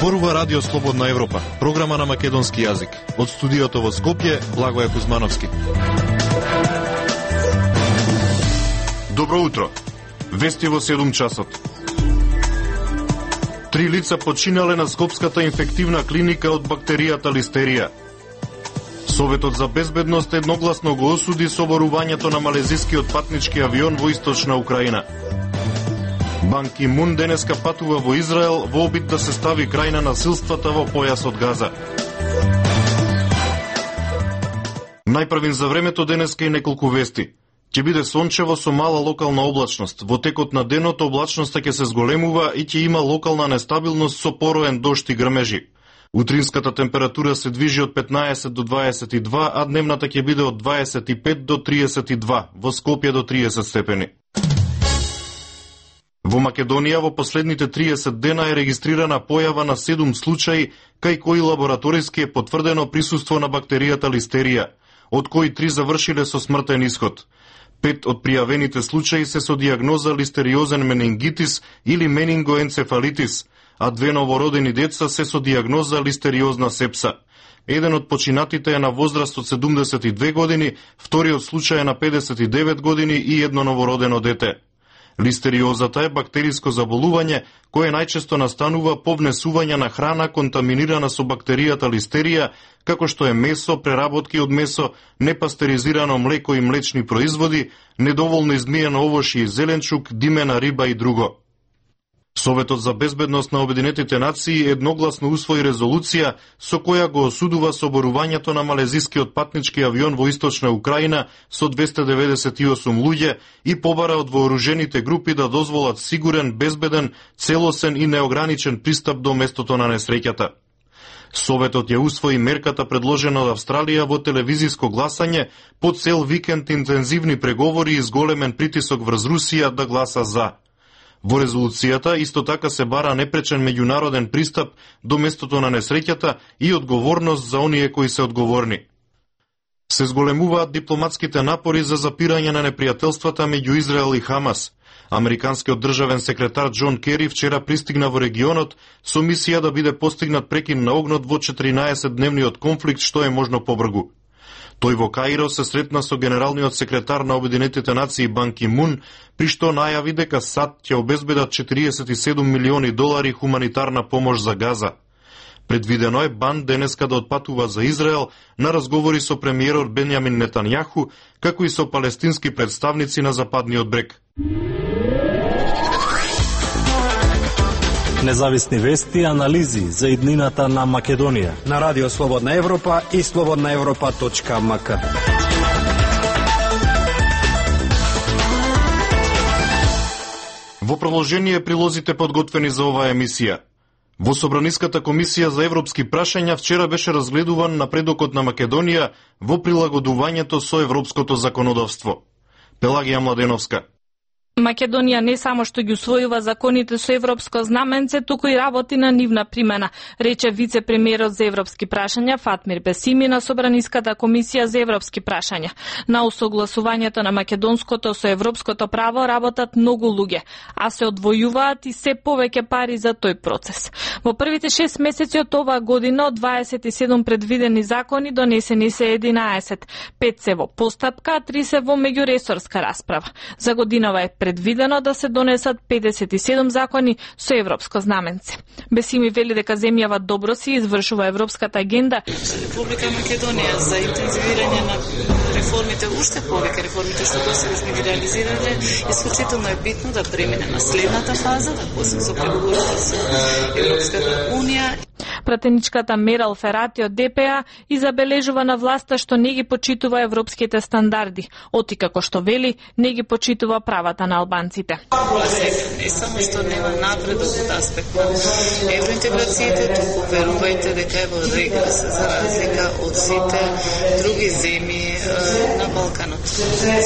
Зборува Радио Слободна Европа, програма на македонски јазик. Од студиото во Скопје, Благоје Кузмановски. Добро утро. Вести во 7 часот. 3 лица починале на Скопската инфективна клиника од бактеријата листерија. Советот за безбедност едногласно го осуди соборувањето на малезискиот патнички авион во источна Украина. Бан Ки Мун денеска патува во Израел во обид да се стави крај на насилствата во појасот Газа. Најпрвин за времето денеска и неколку вести. Ќе биде сончево со мала локална облачност. Во текот на денот облачноста ќе се зголемува и ќе има локална нестабилност со пороен дожд и грмежи. Утринската температура се движи од 15 до 22, а дневната ќе биде од 25 до 32, во Скопје до 30 степени. Во Македонија во последните 30 дена е регистрирана појава на 7 случаи, кај кои лабораториски е потврдено присуство на бактеријата листерија, од кои 3 завршиле со смртен исход. 5 од пријавените случаи се со дијагноза листериозен менингитис или менингоенцефалитис, а 2 новородени деца се со дијагноза листериозна сепса. Еден од починатите е на возраст од 72 години, вториот случај е на 59 години и едно новородено дете. Листериозата е бактериско заболување кое најчесто настанува по внесување на храна контаминирана со бактеријата листерија, како што е месо, преработки од месо, непастеризирано млеко и млечни производи, недоволно измиено овошје и зеленчук, димена риба и друго. Советот за безбедност на Обединетите нации едногласно усвои резолуција со која го осудува соборувањето на малезискиот патнички авион во источна Украина со 298 луѓе и побара од вооружените групи да дозволат сигурен, безбеден, целосен и неограничен пристап до местото на несреќата. Советот ја усвои мерката предложена од Австралија во телевизиско гласање по цел викенд интензивни преговори и зголемен притисок врз Русија да гласа за. Во резолуцијата исто така се бара непречен меѓународен пристап до местото на несреќата и одговорност за оние кои се одговорни. Се зголемуваат дипломатските напори за запирање на непријателствата меѓу Израел и Хамас. Американскиот државен секретар Џон Кери вчера пристигна во регионот со мисија да биде постигнат прекин на огнот во 14-дневниот конфликт што е можно побрзо. Тој во Каиро се сретна со генералниот секретар на Обединетите нации Бан Ки Мун, при што најави дека САД ќе обезбедат $47 милиони хуманитарна помош за Газа. Предвидено е Бан денеска да отпатува за Израел на разговори со премиерот Бенјамин Нетањаху, како и со палестински представници на Западниот брег. Независни вести и анализи за иднината на Македонија на Радио Слободна Европа и slobodnaevropa.mk. Во продолжение прилозите подготвени за оваа емисија. Во Собраниската комисија за европски прашања вчера беше разгледуван напредокот на Македонија во прилагодувањето со европското законодавство. Пелагија Младеновска. Македонија не само што ги усвојува законите со европско знаменце, туку и работи на нивна примена, рече вице-премиерот за европски прашања Фатмир Бесими на Собраниската комисија за европски прашања. На усогласувањето на македонското со европското право работат многу луѓе, а се одвојуваат и се повеќе пари за тој процес. Во првите 6 месеци од оваа година од 27 предвидени закони донесени се 11, 5 се во постапка, а 3 се во меѓуресорска расправа. За годинава е предвидено да се донесат 57 закони со европско знаменце. Бесими вели дека земјава добро си извршува европската агенда. Република Македонија за интензивирање на реформите, уште повеќе реформите што досега сме ги реализирале, исклучително е битно да премине на следната фаза, да почне со преговорите со Европската унија. Пратеничката Мерал Ферати од ДПА и забележува на власта што не ги почитува европските стандарди, оти како што вели не ги почитува правата на албанците. Не само што нема напредок од аспект на евроинтеграциите, туку верувајте дека е во регрес за разлика од сите други земји на Балканот.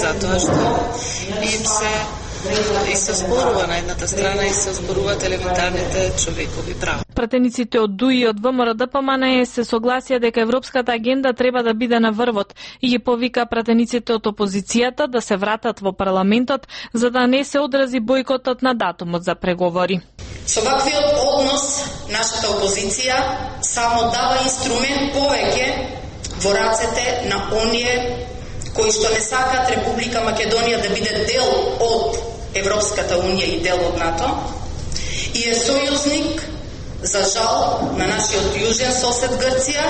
Затоа што им се и се зборува на едната страна и се зборуваат елементарните човекови права. Пратениците од ДУИ и од ВМРО ДПМН се согласија дека европската агенда треба да биде на врвот и ги повика пратениците од опозицијата да се вратат во парламентот за да не се одрази бојкотот на датумот за преговори. Со ваквиот однос, нашата опозиција само дава инструмент повеќе во рацете на оние кои што не сакаат Република Македонија да биде дел од Европската Унија и дел од НАТО и е сојузник, за жал, на нашиот јужен сосед Грција,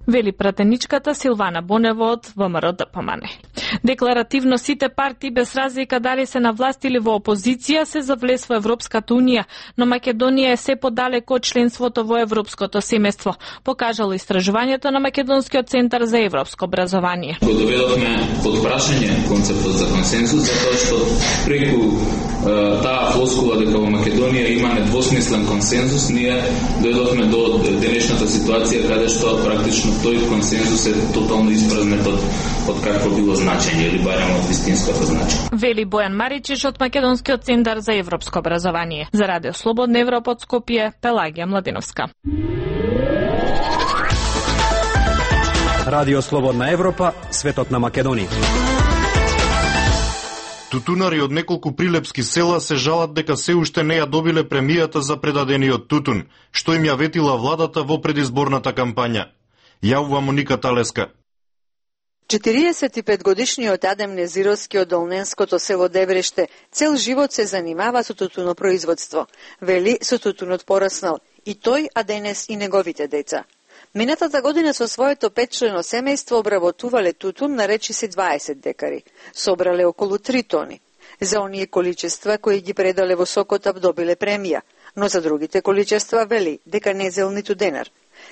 вели пратеничката Силвана Бонева од ВМРО ДПМН. Декларативно сите партии без разлика дали се на власт или во опозиција се за влез во Европската Унија, но Македонија е се подалеку од членството во Европското семејство, покажало истражувањето на Македонскиот центар за европско образование. Го доведовме под прашање концептот за консенсус, затоа што преку таа флоскула дека во Македонија има недвосмислен консенсус, ние дојдовме до денешната ситуација каде што практично тој консенсус е тотално испразнет од какво било значење или барем од вистинското значење. Вели Бојан Маричиш од Македонскиот центар за европско образование. За Радио Слободна Европа од Скопје, Пелагија Младиновска. Радио Слободна Европа, светот на Македонија. Тутунари од неколку прилепски села се жалат дека се уште не ја добиле премијата за предадениот тутун, што им ја ветила владата во предизборната кампања. Јавува Моника Талеска. 45-годишниот Адем Незировски од Долненското село Дебреште цел живот се занимава со тутунопроизводство. Вели, со тутунот пораснал и тој, а денес и неговите деца. Минатата година со своето 5-члено семејство обработувале тутун на речиси 20 декари. Собрале околу 3 тони. За оние количества кои ги предале во Сокотап добиле премија, но за другите количества вели дека не зел ниту денар.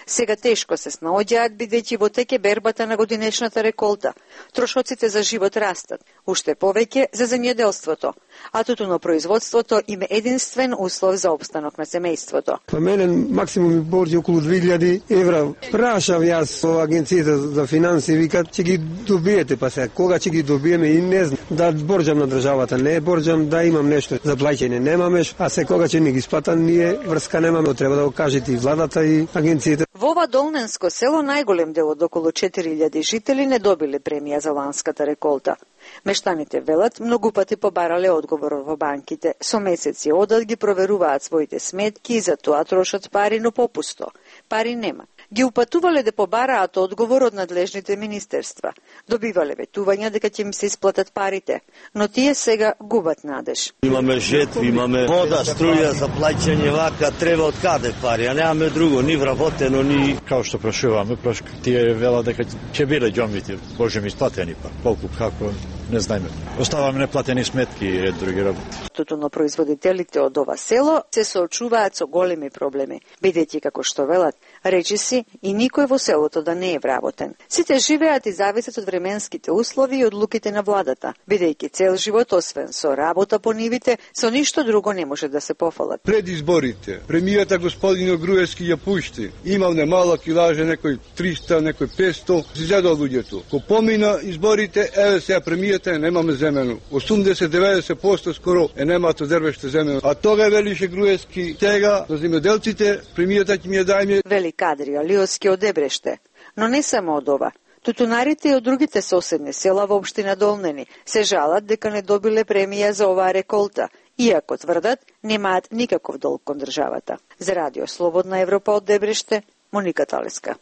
Сега тешко се снаоѓаат бидејќи во теке бербата на годинешната реколта. Трошоците за живот растат, уште повеќе за земјоделството, а тутунопроизводството им е единствен услов за опстанок на семејството. Па мене максимум ми борди околу 2000 евра. Прашав јас во агенцијата за финанси, викат ќе ги добиете, па сега кога ќе ги добиеме и не знам. Да борџам на државата, не борџам да имам нешто за плаќање, немаме, а се кога ќе ни ги сплатат, ние врска немаме, треба да го кажете и владата и агенцијата. Во ова Долненско село најголем дел од околу 4000 жители не добиле премија за ланската реколта. Мештаните велат многу пати побарале одговор во банките. Со месеци одат ги проверуваат своите сметки и за тоа трошат пари, но попусто. Пари нема. Ги упатувале да побараат одговор од надлежните министерства. Добивале ветувања дека ќе им се исплатат парите, но тие сега губат надеж. Имаме жетви, имаме вода, струја за плаќање, вака треба од каде пари, а немаме друго, ни вработено, ни... Као што прашуваме, тие вела дека ќе биде џомбите, Боже ми исплатени па, колку, како, не знаеме. Оставаме неплатени сметки и ред други работи. Тутунопроизводителите од ова село се соочуваат со големи проблеми, бидејќи како што велат, речиси и никој во селото да не е вработен. Сите живеат и зависат од временските услови и одлуките на владата, бидејќи цел живот освен со работа по нивите, со ништо друго не може да се пофалат. Пред изборите, премијата господин Груевски ја пушти. Имал немала килаже, некој 300, некој 500, зедо луѓето. Ко помина изборите, еве сега премијата немаме земено. 80-90% скоро немато дервеште земено. А тога велише Груевски, сега за земјоделците премијата ќе ми ја дајме. Вели Кадри Алиоски од Дебреште. Но не само од ова. Тутунарите и од другите соседни села во општина Долнени се жалат дека не добиле премија за оваа реколта, иако тврдат немаат никаков долг кон државата. За Радио Слободна Европа од Дебреште, Моника Талеска.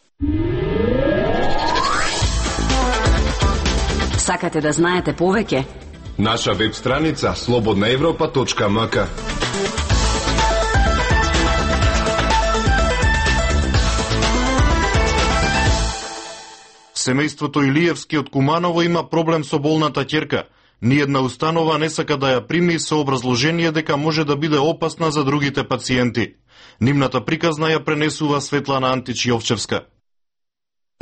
Сакате да знаете повеќе? Наша веб страница slobodnaevropa.mk. Семејството Илиевски од Куманово има проблем со болната ќерка. Ниедна установа не сака да ја прими со образложение дека може да биде опасна за другите пациенти. Нивната приказна ја пренесува Светлана Антич Јовчевска.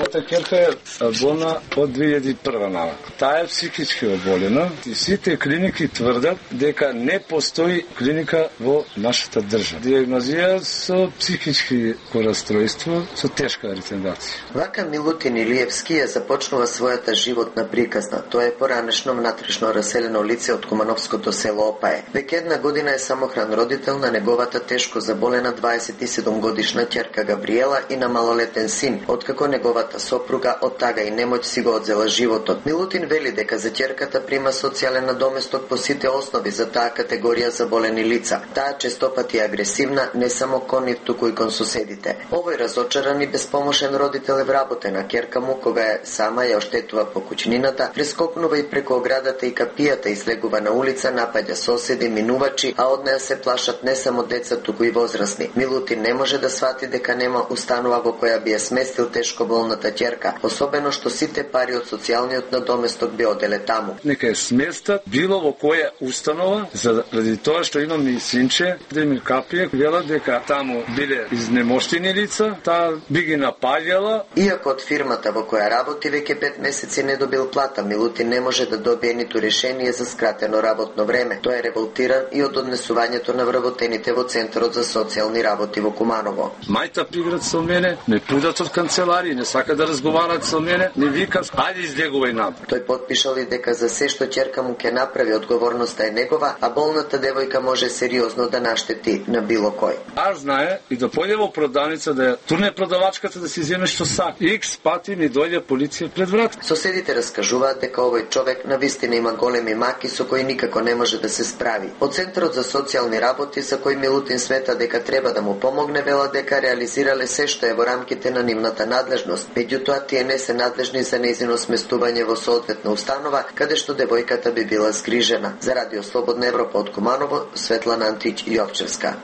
Мојата ќерка е болна од 2001 навак. Таа е психички оболена и сите клиники тврдат дека не постои клиника во нашата држава. Диагнозија со психички расстройство со тешка ретардација. Вака Милутин Илиевски ја започнува својата животна приказна. Тоа е поранешно внатрешно раселено лице од Кумановското село Опае. Веќе една година е самохран родител на неговата тешко заболена 27 годишна ќерка Габриела и на малолетен син, откако неговата неговата сопруга од тага и немоќ си го одзела животот. Милутин вели дека за ќерката прима социјален надоместок по сите основи за таа категорија заболени лица. Таа честопати е агресивна не само кон нив, туку и кон соседите. Овој разочаран и безпомошен родител е вработена. Ќерка му, кога е сама ја оштетува по куќнината, прескокнува и преку оградата и капијата, излегува на улица, напаѓа соседи, минувачи, а од неа се плашат не само деца, туку и возрастни. Милутин не може да свати дека нема установа во која би ја сместил тешко болната ќерка, особено што сите пари од социјалниот надоместок би оделе таму. Нека е сместат било во која установа, заради тоа што имам и синче, да ми капија, вела дека таму биле изнемоштени лица, таа би ги напаѓала. Иако од фирмата во која работи веќе 5 месеци не добил плата, Милутин не може да добие ниту решение за скратено работно време. Тој е револтиран и од однесувањето на вработените во Центарот за социјални работи во Куманово. Мајта приград со мене, не пудат од канцеларија, не сака да разговарат со мене, не вика, ајде излегувај напред. Тој потпишал и дека за се што ќерка му ќе направи, одговорноста е негова, а болната девојка може сериозно да наштети на било кој. Аз знае и да појде во продавница да турне продавачката да си земе што сака. Икс пати ми дојде полиција пред врат. Соседите раскажуваат дека овој човек навистина има големи маки со кои никако не може да се справи. Од Центарот за социјални работи, за кој Милутин смета дека треба да му помогне, вела дека реализирале се што е во рамките на нивната надлежност. Меѓутоа, тие не се надлежни за нејзино сместување во соодветна установа, каде што девојката би била згрижена. За Радио Слободна Европа од Куманово, Светлана Антич Јовчевска.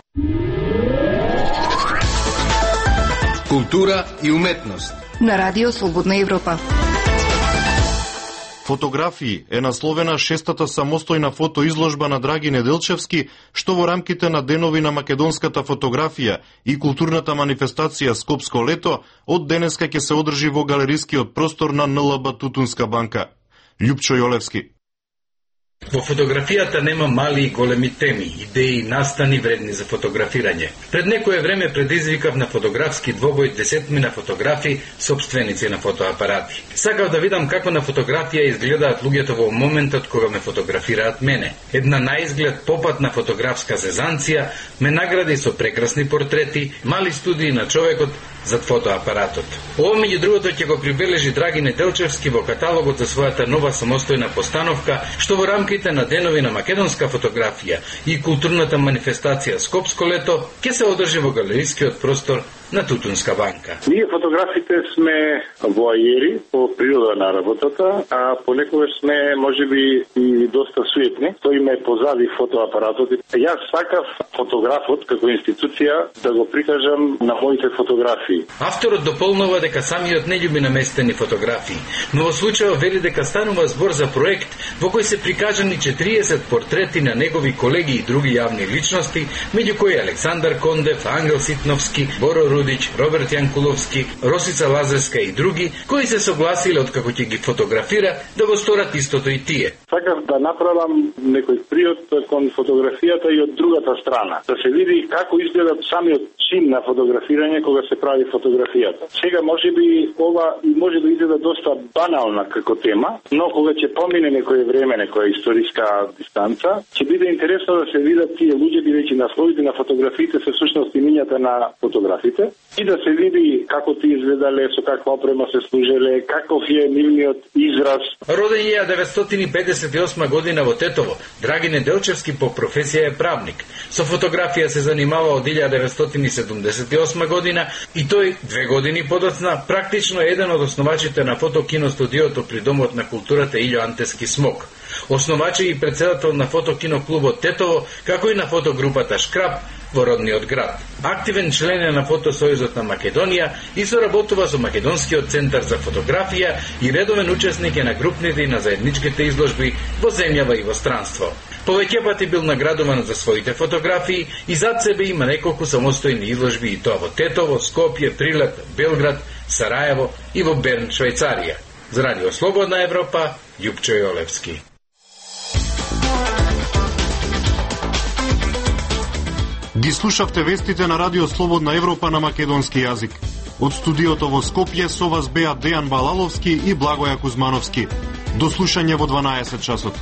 Култура и уметност на Радио Слободна Европа. Фотографии е насловена 6-та самостојна фотоизложба на Драги Неделчевски, што во рамките на денови на македонската фотографија и културната манифестација Скопско лето од денеска ќе се одржи во галерискиот простор на НЛБ Тутунска банка. Љупчо Јолевски. Во фотографијата нема мали и големи теми, идеи и настани вредни за фотографирање. Пред некое време предизвикав на фотографски двобој 10 фотографи, собственици на фотоапарати. Сакав да видам како на фотографија изгледаат луѓето во моментот кога ме фотографираат мене. Една наизглед попатна фотографска зезанција ме награди со прекрасни портрети, мали студии на човекот зад фотоапаратот. Ово меѓу другото ќе го прибележи Драги Неделчевски во каталогот за својата нова самостојна постановка, што во рамките на денови на македонска фотографија и културната манифестација Скопско лето ќе се одржи во галерискиот простор на Тутунска банка. Ние фотографите сме воајери по природа на работата, а понекогаш сме можеби и доста суетни. Стоиме позади фотоапаратот. Јас сакав фотографот како институција да го прикажам на моите фотографии. Авторот дополнува дека самиот не љуби наместени фотографии, но во случајот вели дека станува збор за проект во кој се прикажани 40 портрети на негови колеги и други јавни личности, меѓу кои Александар Кондев, Ангел Ситновски, Боро Рудич, Роберт Јанкуловски, Росица Лазарска и други, кои се согласиле откако ќе ги фотографира да го сторат истото и тие. Сакав да направам некој приод кон фотографијата и од другата страна, да се види како изгледа самиот чин на фотографирање кога се прави фотографијата. Сега можеби ова може да изгледа доста банална како тема, но кога ќе помине некое време, некоја историска дистанца, ќе биде интересно да се видат тие луѓе, бидејќи насловите на фотографиите се всушност имињата на фотографите, и да се види како ти изгледале, со каква опрема се служеле, каков е нивниот израз. Роден е 1958 година во Тетово, Драги Неделчевски по професија е правник. Со фотографија се занимава од 1978 година и тој 2 години подоцна практично е еден од основачите на фотокиностудиото при Домот на културата Илјо Антески Смок. Основач и председател на фотокиноклубот Тетово, како и на фотогрупата Шкраб во родниот град. Активен член е на Фотосојузот на Македонија и соработува со Македонскиот центар за фотографија и редовен учесник е на групните и на заедничките изложби во земјава и во странство. Повеќе пати бил наградуван за своите фотографии и зад себе има неколку самостојни изложби и тоа во Тетово, Скопје, Прилеп, Белград, Сараево и во Берн, Швајцарија. За Радио Слободна Европа, Љупчо Јолевски. Ги слушавте вестите на Радио Слободна Европа на македонски јазик. Од студиото во Скопје со вас беа Дејан Балаловски и Благоја Кузмановски. До слушање во 12 часот.